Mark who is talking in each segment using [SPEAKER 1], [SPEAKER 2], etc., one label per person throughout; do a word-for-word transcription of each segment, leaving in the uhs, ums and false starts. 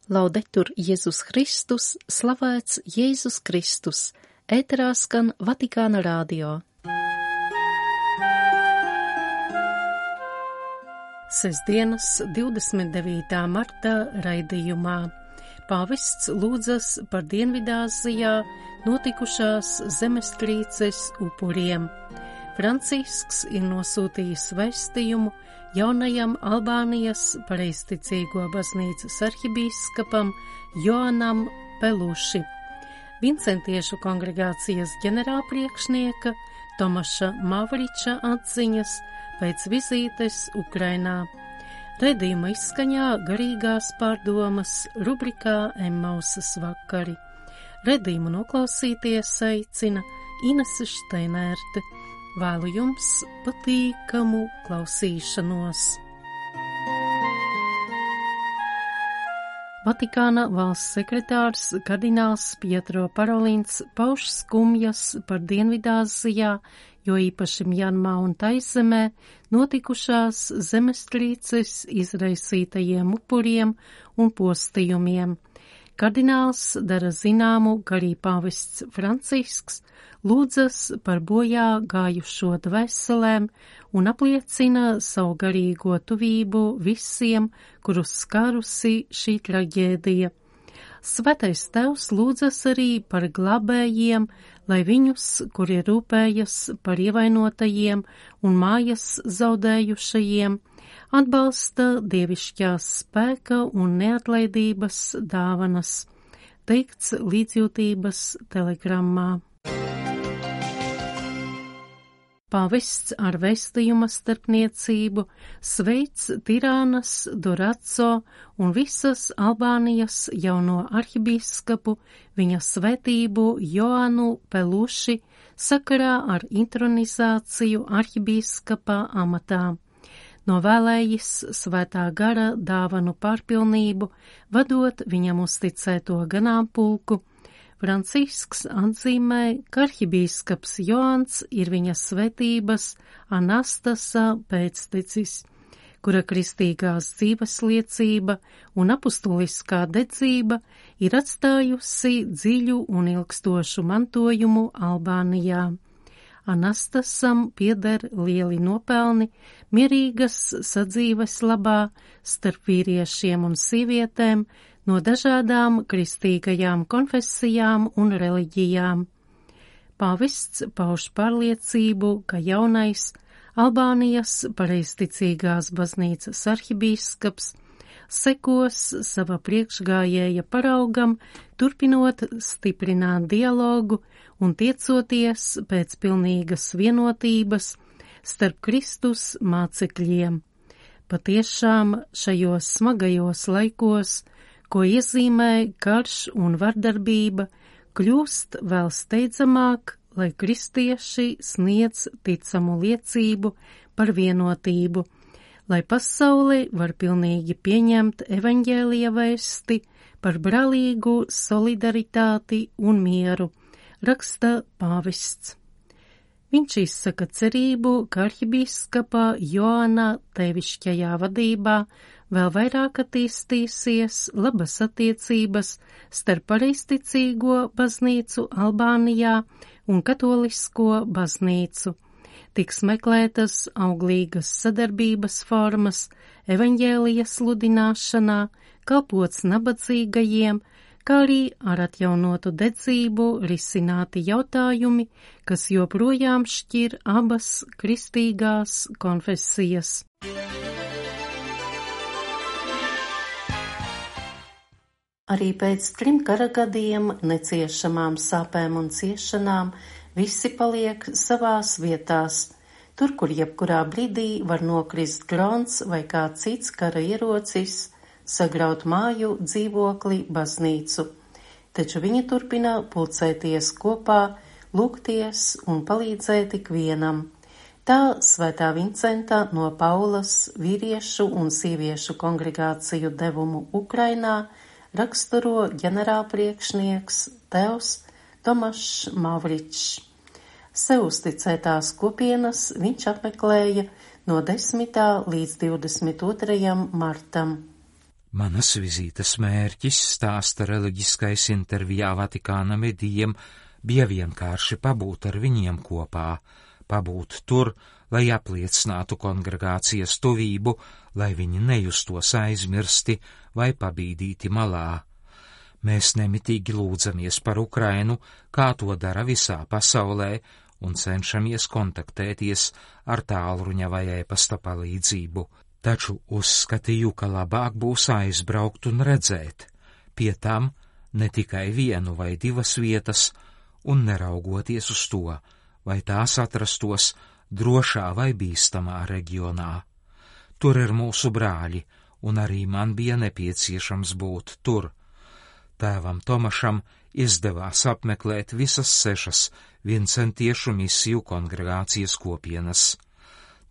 [SPEAKER 1] Laudetur Jēzus Kristus, slavēts Jēzus Kristus, ēterā skan Vatikāna radio. Sestdienas divdesmit devītā marta raidījumā pāvests lūdzas par Dienvidāzijā notikušās zemestrīces upuriem. Francisks ir nosūtījis vēstījumu jaunajam Albānijas pareizticīgo baznīcas arhibīskapam Joanam Peluši. Vincentiešu kongregācijas ģenerālpriekšnieka Tomaša Mavriča atziņas pēc vizītes Ukrainā. Redījuma izskaņā garīgās pārdomas rubrikā Emmausas vakari. Redījumu noklausīties aicina Inese Šteinērte. Vēlu jums patīkamu klausīšanos. Vatikāna valsts sekretārs kardināls Pietro Parolins pauž skumjas par Dienvidāzijā, jo īpaši Mjanmā un Taizemē notikušās zemestrīces izraisītajiem upuriem un postījumiem. Kardināls dara zināmu, ka arī pāvests Francisks lūdzas par bojā gājušo dvēselēm un apliecina savu garīgo tuvību visiem, kurus skārusi šī traģēdija. Svētais Tēvs lūdzas arī par glābējiem, lai viņus, kuri rūpējas par ievainotajiem un mājas zaudējušajiem, atbalsta dievišķās spēka un neatlaidības dāvanas, teikts līdzjūtības telegrammā. Pāvests ar vēstījuma starpniecību sveic Tirānas, Doraco un visas Albānijas jauno arhibīskapu, viņa svētību Joanu Peluši sakarā ar intronizāciju arhibīskapa amatā. Novēlējis svētā gara dāvanu pārpilnību, vadot viņam uzticēto ganāmpulku. Francisks atzīmē, ka arhibīskaps Joans ir viņa svētības Anastasa pēctecis, kura kristīgās dzīves liecība un apustuliskā dedzība ir atstājusi dziļu un ilgstošu mantojumu Albānijā. Anastasam pieder lieli nopelni mierīgas sadzīves labā starp vīriešiem un sievietēm no dažādām kristīgajām konfesijām un reliģijām. Pāvests pauž pārliecību, ka jaunais Albānijas pareizticīgās baznīcas arhibīskaps sekos sava priekšgājēja paraugam, turpinot stiprināt dialogu un tiecoties pēc pilnīgas vienotības starp Kristus mācekļiem. Patiešām šajos smagajos laikos, ko iezīmē karš un vardarbība, kļūst vēl steidzamāk, lai kristieši sniedz ticamu liecību par vienotību, lai pasaule var pilnīgi pieņemt evaņģēlija vēsti par brālīgu solidaritāti un mieru, raksta pāvests. Viņš izsaka cerību, ka arhibīskapa Joana tevišķajā vadībā vēl vairāk attīstīsies labas attiecības starp pareizticīgo baznīcu Albānijā un katolisko baznīcu. Tiks meklētas auglīgas sadarbības formas evaņģēlija sludināšanā, kalpots nabadzīgajiem, kā arī ar atjaunotu dedzību risināti jautājumi, kas joprojām šķir abas kristīgās konfesijas. Arī pēc trim kara gadiem, neciešamām sāpēm un ciešanām, visi paliek savās vietās, tur, kur jebkurā brīdī var nokrist grons vai kāds cits kara ierocis, sagraut māju, dzīvokli, baznīcu. Taču viņi turpina pulcēties kopā, lūgties un palīdzēt ikvienam. Tā svētā Vincenta no Paulas vīriešu un sieviešu kongregāciju devumu Ukrainā raksturo ģenerālpriekšnieks Tēvs Tomašs Mavričs. Sev uzticētās kopienas viņš apmeklēja no desmitā līdz divdesmit otrajam martam.
[SPEAKER 2] Manas vizītes mērķis, stāsta reliģiskais intervijā Vatikāna medijiem, bija vienkārši pabūt ar viņiem kopā, pabūt tur, lai apliecinātu kongregācijas tuvību, lai viņi nejustos aizmirsti vai pabīdīti malā. Mēs nemitīgi lūdzamies par Ukrainu, kā to dara visā pasaulē, un cenšamies kontaktēties ar tālruņa vai ēpasta palīdzību. Taču uzskatīju, ka labāk būs aizbraukt un redzēt, pie tam ne tikai vienu vai divas vietas, un neraugoties uz to, vai tās atrastos drošā vai bīstamā reģionā. Tur ir mūsu brāļi, un arī man bija nepieciešams būt tur. Tēvam Tomašam izdevās apmeklēt visas sešas vincentiešu misiju kongregācijas kopienas.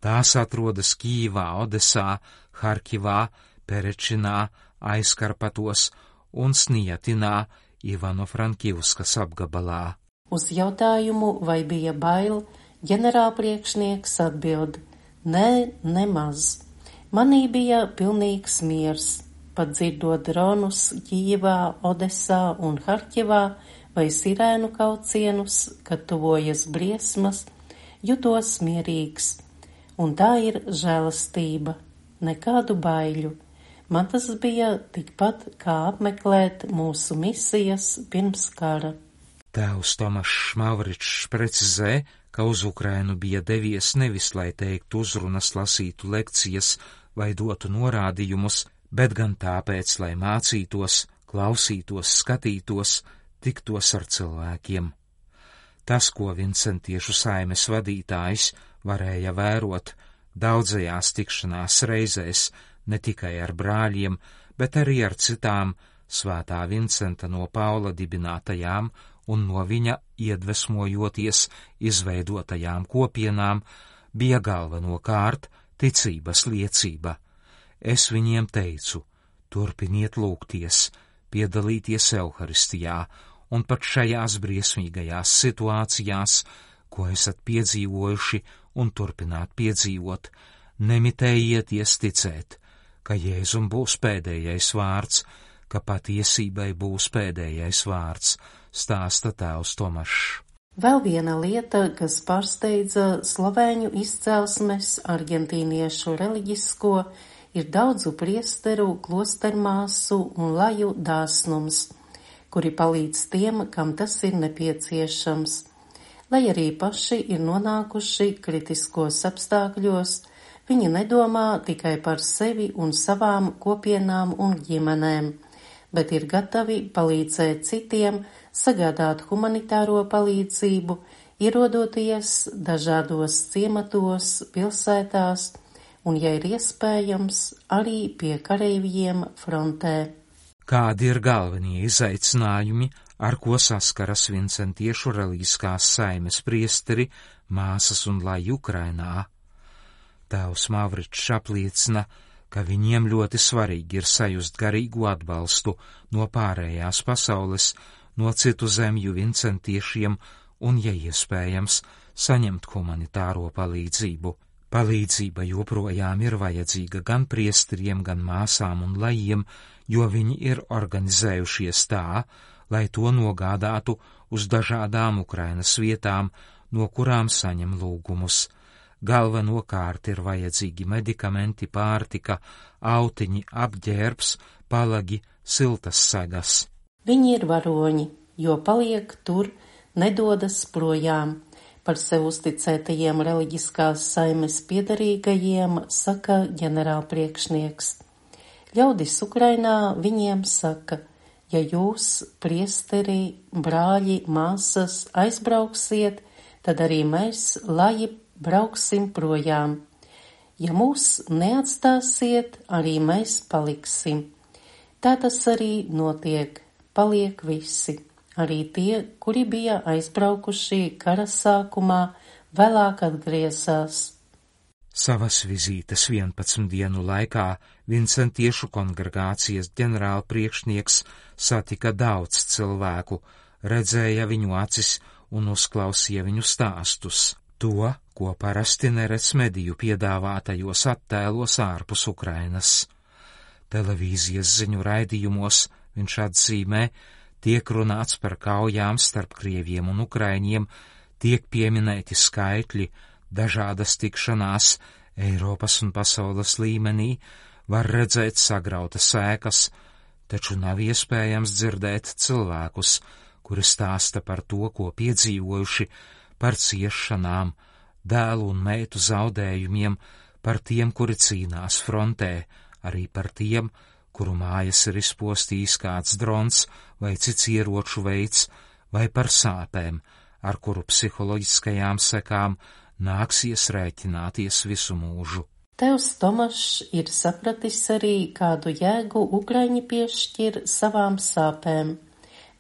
[SPEAKER 2] Tās atrodas Kīvā, Odesā, Harkivā, Perečinā, Aizkarpatos un Snijatinā, Ivano-Frankivskas apgabalā.
[SPEAKER 3] Uz jautājumu, vai bija bail, ģenerālpriekšnieks atbild: nē, nemaz. Manī bija pilnīgs miers, pat dzirdot dronus Kīvā, Odesā un Harkivā vai sirēnu kaucienus, kad tuvojas briesmas, jutos mierīgs. Un tā ir žēlastība, nekādu baiļu. Man tas bija tikpat kā apmeklēt mūsu misijas pirms kara.
[SPEAKER 2] Tēvs Tomašs Mavričs precizē, ka uz Ukrainu bija devies nevis, lai teiktu uzrunas, lasītu lekcijas vai dotu norādījumus, bet gan tāpēc, lai mācītos, klausītos, skatītos, tiktos ar cilvēkiem. Tas, ko vincentiešu saimes vadītājs varēja vērot daudzajās tikšanās reizēs, ne tikai ar brāļiem, bet arī ar citām svētā Vincenta no Paula dibinātajām un no viņa iedvesmojoties izveidotajām kopienām, bija galvenokārt ticības liecība. Es viņiem teicu: turpiniet lūgties, piedalīties Euharistijā, un pat šajās briesmīgajās situācijās, ko esat piedzīvojuši un turpināt piedzīvot, nemitējieties ticēt, ka Jēzum būs pēdējais vārds, ka patiesībai būs pēdējais vārds, stāsta tēvs Tomašs.
[SPEAKER 3] Vēl viena lieta, kas pārsteidza slovēņu izcelsmes argentīniešu reliģisko, ir daudzu priesteru, klostermāsu un laju dāsnums, kuri palīdz tiem, kam tas ir nepieciešams. Lai arī paši ir nonākuši kritiskos apstākļos, viņi nedomā tikai par sevi un savām kopienām un ģimenēm, bet ir gatavi palīdzēt citiem, sagādāt humanitāro palīdzību, ierodoties dažādos ciematos, pilsētās un, ja ir iespējams, arī pie kareivjiem frontē.
[SPEAKER 2] Kādi ir galvenie izaicinājumi, ar ko saskaras vincentiešu reliģiskās saimes priesteri, māsas un laji Ukrainā? Tēvs Mavričs apliecina, ka viņiem ļoti svarīgi ir sajust garīgu atbalstu no pārējās pasaules, no citu zemju vincentiešiem un, ja iespējams, saņemt humanitāro palīdzību. Palīdzība joprojām ir vajadzīga gan priesteriem, gan māsām un lajiem, jo viņi ir organizējušies tā, lai to nogādātu uz dažādām Ukrainas vietām, no kurām saņem lūgumus. Galvenokārt ir vajadzīgi medikamenti, pārtika, autiņi, apģērbs, palagi, siltas segas.
[SPEAKER 3] Viņi ir varoņi, jo paliek tur, nedodas projām. Par sev uzticētajiem reliģiskās saimes piederīgajiem saka ģenerālpriekšnieks. Ļaudis Ukrainā viņiem saka: ja jūs, priesteri, brāļi, māsas, aizbrauksiet, tad arī mēs, laji, brauksim projām. Ja mūs neatstāsiet, arī mēs paliksim. Tā tas arī notiek, paliek visi. Arī tie, kuri bija aizbraukuši kara sākumā, vēlāk atgriezās.
[SPEAKER 2] Savas vizītes vienpadsmit dienu laikā vincentiešu kongregācijas ģenerālpriekšnieks satika daudz cilvēku, redzēja viņu acis un uzklausīja viņu stāstus. To, ko parasti neredz mediju piedāvātajos attēlos ārpus Ukrainas. Televīzijas ziņu raidījumos viņš atzīmē, tiek runāts par kaujām starp krieviem un ukraiņiem, tiek pieminēti skaitļi, dažādas tikšanās Eiropas un pasaules līmenī, var redzēt sagrautas ēkas, taču nav iespējams dzirdēt cilvēkus, kuri stāsta par to, ko piedzīvojuši, par ciešanām, dēlu un meitu zaudējumiem, par tiem, kuri cīnās frontē, arī par tiem, kuru mājas ir izpostījis kāds drons vai cits ieroču veids, vai par sāpēm, ar kuru psiholoģiskajām sekām nāksies rēķināties visu mūžu.
[SPEAKER 3] Tevs Tomašs ir sapratis arī, kādu jēgu Ukraiņi piešķir savām sāpēm.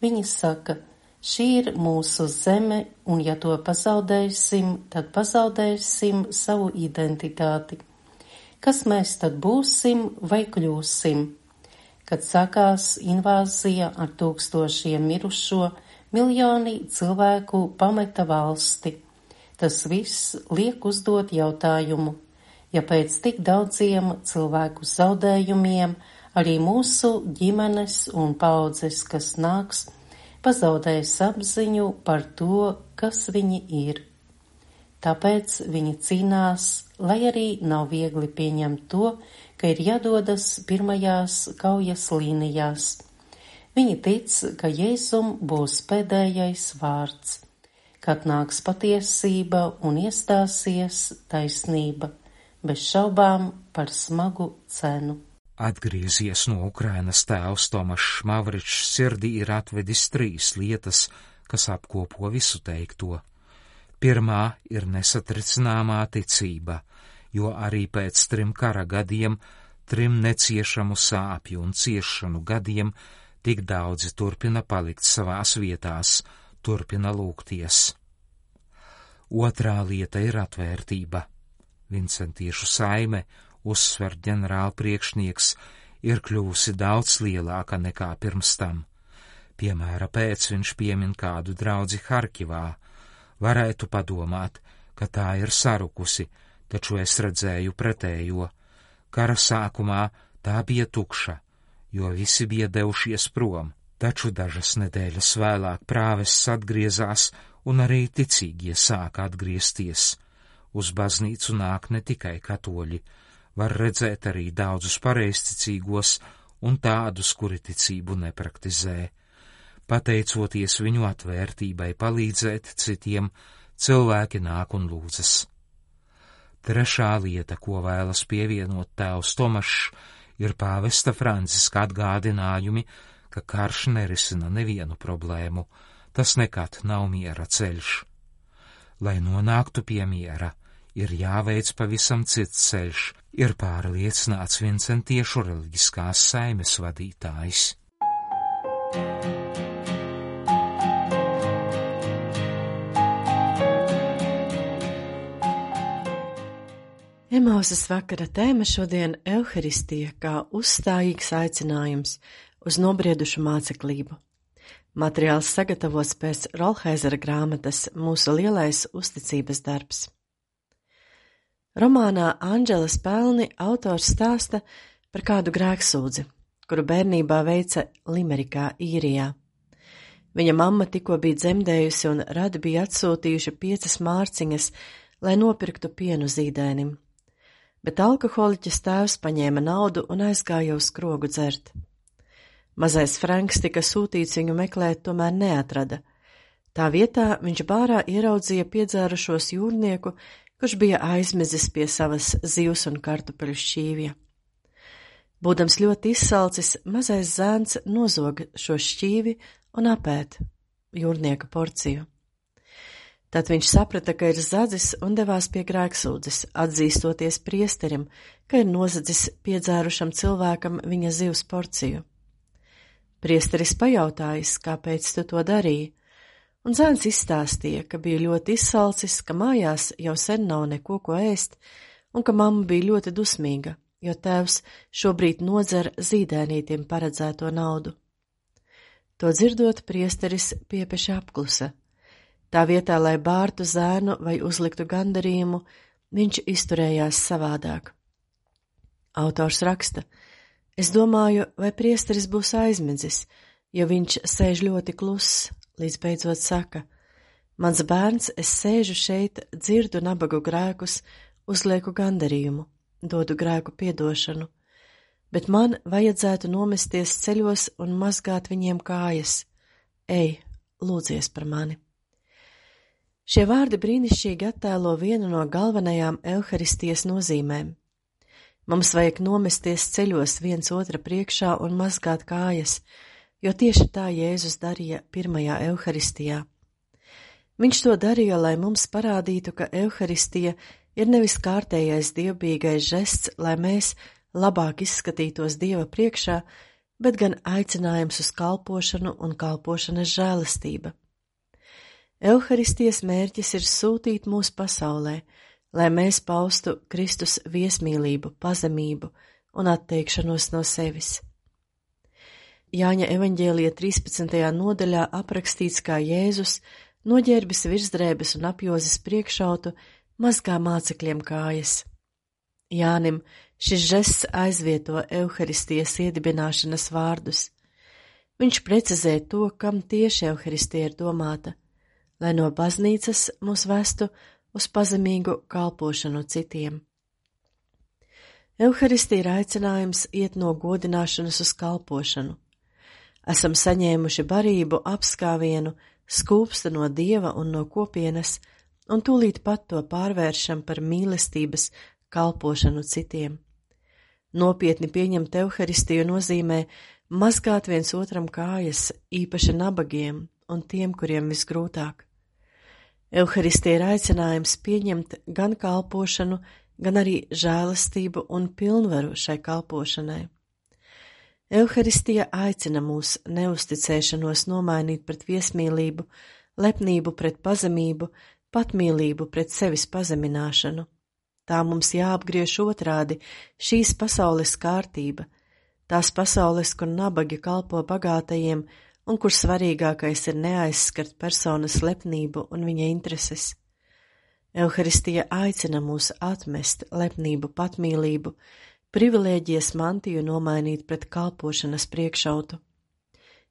[SPEAKER 3] Viņi saka, šī ir mūsu zeme, un ja to pazaudēsim, tad pazaudēsim savu identitāti. Kas mēs tad būsim vai kļūsim? Kad sākās invāzija ar tūkstošiem mirušo, miljoni cilvēku pameta valsti. Tas viss liek uzdot jautājumu, ja pēc tik daudziem cilvēku zaudējumiem arī mūsu ģimenes un paudzes, kas nāks, pazaudēs apziņu par to, kas viņi ir. Tāpēc viņi cīnās, lai arī nav viegli pieņemt to, ka ir jādodas pirmajās kaujas līnijās. Viņi tic, ka Jēzum būs pēdējais vārds, kad nāks patiesība un iestāsies taisnība, bez šaubām par smagu cenu.
[SPEAKER 2] Atgriezies no Ukrainas tēvs Tomašs Mavričs sirdī ir atvedis trīs lietas, kas apkopo visu teikto. Pirmā ir nesatricināmā ticība, jo arī pēc trim kara gadiem, trim neciešamu sāpju un ciešanu gadiem, tik daudzi turpina palikt savās vietās, turpina lūgties. Otrā lieta ir atvērtība. Vincentiešu saime, uzsver ģenerāla priekšnieks, ir kļuvusi daudz lielāka nekā pirms tam. Piemēra pēc viņš piemin kādu draudzi Harkivā. Varētu padomāt, ka tā ir sarukusi, taču es redzēju pretējo. Kara sākumā tā bija tukša, jo visi bija devušies prom, taču dažas nedēļas vēlāk prāvests atgriezās un arī ticīgie sāka atgriezties. Uz baznīcu nāk ne tikai katoļi, var redzēt arī daudzus pareizticīgos un tādus, kuri ticību nepraktizē. Pateicoties viņu atvērtībai palīdzēt citiem, cilvēki nāk un lūdzas. Trešā lieta, ko vēlas pievienot tēvs Tomašs, ir pāvesta Franciska atgādinājumi, ka karš nerisina nevienu problēmu, tas nekad nav miera ceļš. Lai nonāktu pie miera, ir jāveic pavisam cits ceļš, ir pārliecināts Vincentiešu reliģiskās saimes vadītājs.
[SPEAKER 4] Emausas vakara tēma šodien Euharistija kā uzstājīgs aicinājums uz nobriedušu māceklību. Materiāls sagatavots pēc Rolheizera grāmatas Mūsu lielais uzticības darbs. Romānā Anģeles pelni autors stāsta par kādu grēksūdzi, kuru bērnībā veica Limerikā, Īrijā. Viņa mamma tikko bija dzemdējusi un radi bija atsūtījuši piecas mārciņas, lai nopirktu pienu zīdēnim. Bet alkoholiķis tēvs paņēma naudu un aizgāja uz skrogu dzert. Mazais Franks tika sūtīts viņu meklēt, tomēr neatrada. Tā vietā viņš bārā ieraudzīja piedzērušos jūrnieku, kurš bija aizmezis pie savas zivs un kartupeļu šķīvja. Būdams ļoti izsalcis, mazais zēns nozoga šo šķīvi un apēd jūrnieka porciju. Tad viņš saprata, ka ir zadzis un devās pie grēksūdzes, atzīstoties priesterim, ka ir nozadzis piedzērušam cilvēkam viņa zivs porciju. Priesteris pajautājis, kāpēc tu to darīji, un zēns izstāstīja, ka bija ļoti izsalcis, ka mājās jau sen nav neko ko ēst, un ka mamma bija ļoti dusmīga, jo tēvs šobrīd nodzer zīdēnītim paredzēto naudu. To dzirdot, priesteris piepeši apklusa. Tā vietā, lai bārtu zēnu vai uzliktu gandarījumu, viņš izturējās savādāk. Autors raksta, Es domāju, vai priesteris būs aizmidzis, jo viņš sēž ļoti kluss, līdz beidzot saka: mans bērns, es sēžu šeit, dzirdu nabagu grēkus, uzlieku gandarījumu, dodu grēku piedošanu, bet man vajadzētu nomesties ceļos un mazgāt viņiem kājas. Ej, lūdzies par mani. Šie vārdi brīnišķīgi attēlo vienu no galvenajām Euharistijas nozīmēm. Mums vajag nomesties ceļos viens otra priekšā un mazgāt kājas, jo tieši tā Jēzus darīja pirmajā Euharistijā. Viņš to darīja, lai mums parādītu, ka Euharistija ir nevis kārtējais dievbijīgais žests, lai mēs labāk izskatītos Dieva priekšā, bet gan aicinājums uz kalpošanu un kalpošanas žēlastība. Euharistijas mērķis ir sūtīt mūs pasaulē, lai mēs paustu Kristus viesmīlību, pazemību un atteikšanos no sevis. Jāņa evaņģēlija trīspadsmitajā nodaļā aprakstīts, kā Jēzus, noģērbis virsdrēbes un apjozis priekšautu, mazgā mācekļiem kājas. Jānim šis žests aizvieto Euharistijas iedibināšanas vārdus. Viņš precizē to, kam tieši Euharistija ir domāta, lai no baznīcas mūs vestu uz pazemīgu kalpošanu citiem. Euharistija ir aicinājums iet no godināšanas uz kalpošanu. Esam saņēmuši barību apskāvienu, skūpsta no Dieva un no kopienas, un tūlīt pat to pārvēršam par mīlestības kalpošanu citiem. Nopietni pieņemt Euharistiju nozīmē mazgāt viens otram kājas, īpaši nabagiem un tiem, kuriem visgrūtāk. Euharistija ir aicinājums pieņemt gan kalpošanu, gan arī žēlastību un pilnvaru šai kalpošanai. Euharistija aicina mūs neusticēšanos nomainīt pret viesmīlību, lepnību pret pazemību, patmīlību pret sevis pazemināšanu. Tā mums jāapgriež otrādi šīs pasaules kārtība, tās pasaules, kur nabagi kalpo bagātajiem, un kur svarīgākais ir neaizskart personas lepnību un viņa intereses. Euharistija aicina mūs atmest lepnību, patmīlību, privilēģijas mantiju nomainīt pret kalpošanas priekšautu.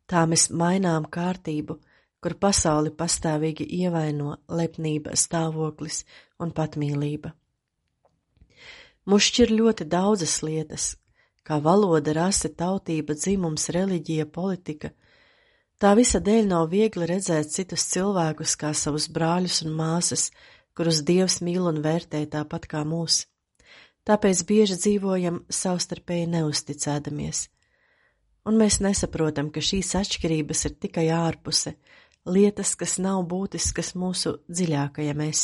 [SPEAKER 4] Tā mēs mainām kārtību, kur pasauli pastāvīgi ievaino lepnība, stāvoklis un patmīlība. Mūs šķir ļoti daudzas lietas, kā valoda, rase, tautība, dzimums, reliģija, politika. Tā visa dēļ nav viegli redzēt citus cilvēkus kā savus brāļus un māsas, kurus Dievs mīl un vērtē tāpat kā mūs. Tāpēc bieži dzīvojam savstarpēji neusticēdamies. Un mēs nesaprotam, ka šīs atšķirības ir tikai ārpuse, lietas, kas nav būtiskas mūsu dziļākajam es.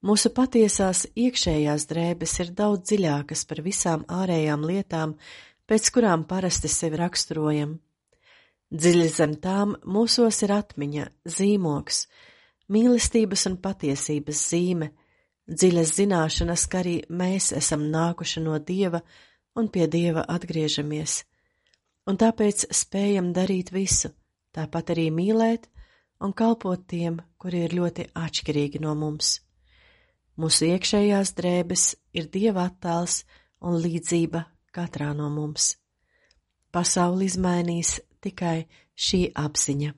[SPEAKER 4] Mūsu patiesās iekšējās drēbes ir daudz dziļākas par visām ārējām lietām, pēc kurām parasti sevi raksturojam. Dziļi zem tām mūsos ir atmiņa, zīmogs, mīlestības un patiesības zīme, dziļas zināšanas, ka arī mēs esam nākuši no Dieva un pie Dieva atgriežamies, un tāpēc spējam darīt visu, tāpat arī mīlēt un kalpot tiem, kuri ir ļoti atšķirīgi no mums. Mūsu iekšējās drēbes ir Dieva attēls un līdzība katrā no mums. Pasauli izmainīs tikai šī apziņa.